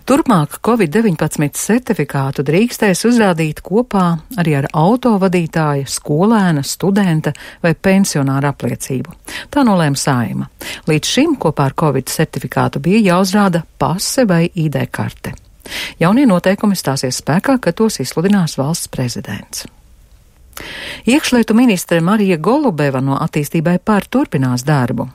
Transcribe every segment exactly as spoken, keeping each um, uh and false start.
Turpmāk covid deviņpadsmit certifikātu drīkstēs uzrādīt kopā arī ar autovadītāja, skolēna, studenta vai pensionāra apliecību. Tā nolēma Saeima. Līdz šim kopā ar covid certifikātu bija jāuzrāda pase vai I D karte. Jaunie noteikumi stāsies spēkā, kad tos izsludinās valsts prezidents. Iekšlietu ministre Marija Golubeva no Attīstībai par turpinās darbu.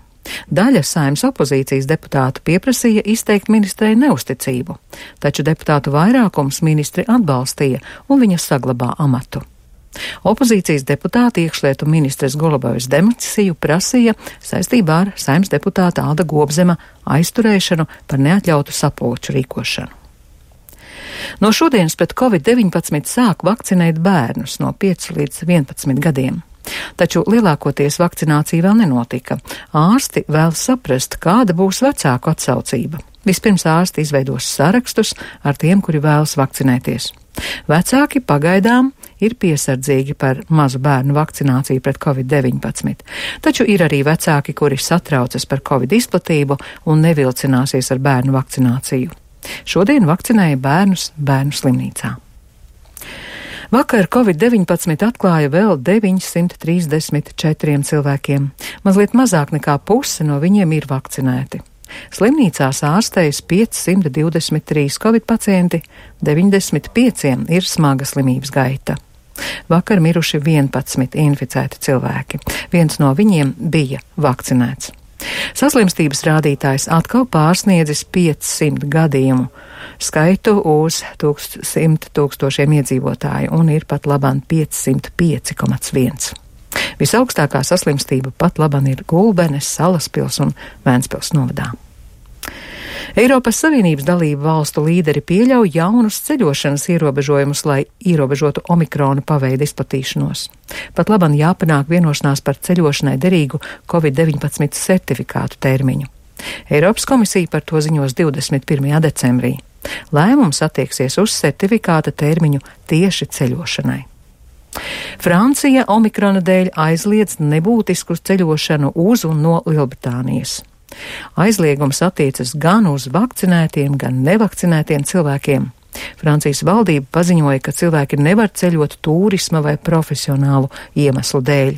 Daļa Saeimas opozīcijas deputātu pieprasīja izteikt ministrei neusticību, taču deputātu vairākums ministri atbalstīja un viņa saglabā amatu. Opozīcijas deputāti iekšlietu ministres Golubevas demisiju prasīja saistībā ar Saeimas deputāta Alda Gobzema aizturēšanu par neatļautu sapulču rīkošanu. No šodienas pret covid deviņpadsmit sāk vakcinēt bērnus no pieciem līdz vienpadsmit gadiem. Taču lielākoties vakcinācija vēl nenotika. Ārsti vēl saprast, kāda būs vecāku atsaucība. Vispirms ārsti izveidos sarakstus ar tiem, kuri vēlas vakcinēties. Vecāki pagaidām ir piesardzīgi par mazu bērnu vakcināciju pret covid deviņpadsmit, taču ir arī vecāki, kuri satraucas par covid izplatību un nevilcināsies ar bērnu vakcināciju. Šodien vakcinēja bērnus bērnu slimnīcā. Vakar covid deviņpadsmit atklāja vēl deviņsimt trīsdesmit četriem cilvēkiem. Mazliet mazāk nekā puse no viņiem ir vakcinēti. Slimnīcās ārstējas piecsimt divdesmit trīs covid pacienti, deviņdesmit pieciem ir smaga slimības gaita. Vakar miruši vienpadsmit inficēti cilvēki. Viens no viņiem bija vakcinēts. Saslimstības rādītājs atkal pārsniedzis piecsimt gadījumu skaitu uz simt tūkstošiem iedzīvotāju un ir pat labāk piecsimt pieci komats viens. Visaugstākā saslimstība pat labāk ir Gulbenes, Salaspils un Vēnspils novadā. Eiropas Savienības dalību valstu līderi pieļauj jaunus ceļošanas ierobežojumus, lai ierobežotu omikrona paveida izplatīšanos. Pat labāk jāpanāk vienošanās par ceļošanai derīgu covid deviņpadsmit certifikātu termiņu. Eiropas komisija par to ziņos divdesmit pirmajā decembrī. Lēmums attieksies uz certifikāta termiņu tieši ceļošanai. Francija omikrona dēļ aizliedz nebūtisku ceļošanu uz un no Lielbritānijas. Aizliegums attiecas gan uz vakcinētiem, gan nevakcinētiem cilvēkiem. Francijas valdība paziņoja, ka cilvēki nevar ceļot turisma vai profesionālu iemeslu dēļ.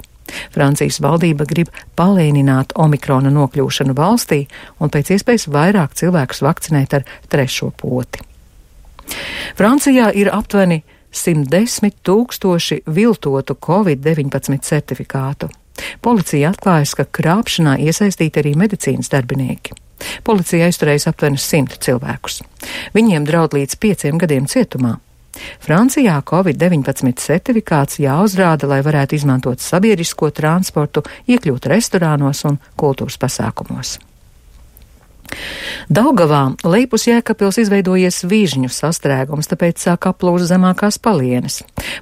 Francijas valdība grib palēnināt omikrona nokļūšanu valstī un pēc iespējas vairāk cilvēkus vakcinēt ar trešo poti. Francijā ir aptuveni simt desmit tūkstoši viltotu covid deviņpadsmit certifikātu. Policija atklājas, ka krāpšanā iesaistīti arī medicīnas darbinieki. Policija aizturējas aptuveni simt cilvēkus. Viņiem draud līdz pieciem gadiem cietumā. Francijā covid deviņpadsmit certifikāts jāuzrāda, lai varētu izmantot sabiedrisko transportu, iekļūt restorānos un kultūras pasākumos. Daugavā lejpus Jēkabpils izveidojies vižņu sastrēgums, tāpēc sāk aplūst zemākās palienes.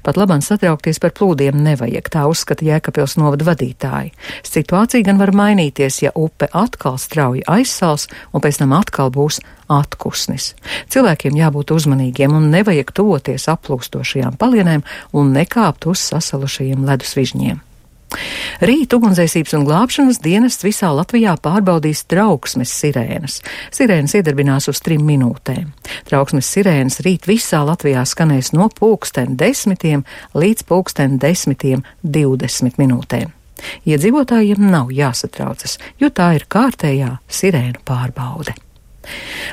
Pat labāk satraukties par plūdiem nevajag, tā uzskata Jēkabpils novada vadītāji. Situācija gan var mainīties, ja upe atkal strauji aizsals un pēc tam atkal būs atkusnis. Cilvēkiem jābūt uzmanīgiem un nevajag tuvoties aplūstošajām palienēm un nekāpt uz sasalušajiem ledus vižņiem. Rīt ugunsdzēsības un glābšanas dienests visā Latvijā pārbaudīs trauksmes sirēnas. Sirēnas iedarbinās uz trim minūtēm. Trauksmes sirēnas rīt visā Latvijā skanēs no pulksten desmitiem līdz pulksten desmitiem divdesmit minūtēm. Iedzīvotājiem nav jāsatraucas, jo tā ir kārtējā sirēnu pārbaude.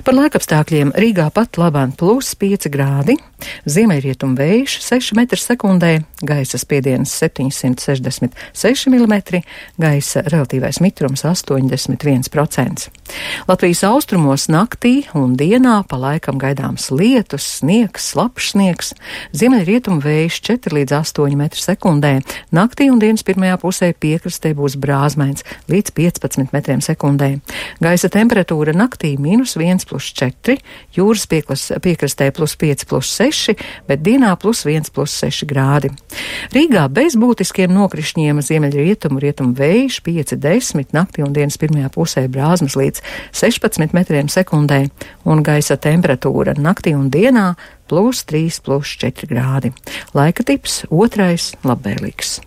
Par laikapstākļiem Rīgā pat labāk plus pieci grādi, ziemeļrietumu vējš seši metri sekundē, gaisa spiediens septiņsimt sešdesmit seši milimetri, gaisa relatīvais mitrums astoņdesmit viens procents. Latvijas austrumos naktī un dienā pa laikam gaidāms lietus, sniegs, slapjš sniegs, ziemeļrietumu vējš četri līdz astoņi metri sekundē, naktī un dienas pirmajā pusē piekrastē būs brāzmains līdz piecpadsmit metriem sekundē. Gaisa temperatūra naktī mīnus viens plus četri, jūras pieklas, piekrastē plus pieci plus seši, bet dienā plus viens plus seši grādi. Rīgā bez būtiskiem nokrišņiem ziemeļrietumu, rietumu vējš pieci desmit, naktī un dienas pirmajā pusē brāzmas līdz sešpadsmit metriem sekundē un gaisa temperatūra naktī un dienā plus trīs plus četri grādi. Laika tips otrais labvēlīgs.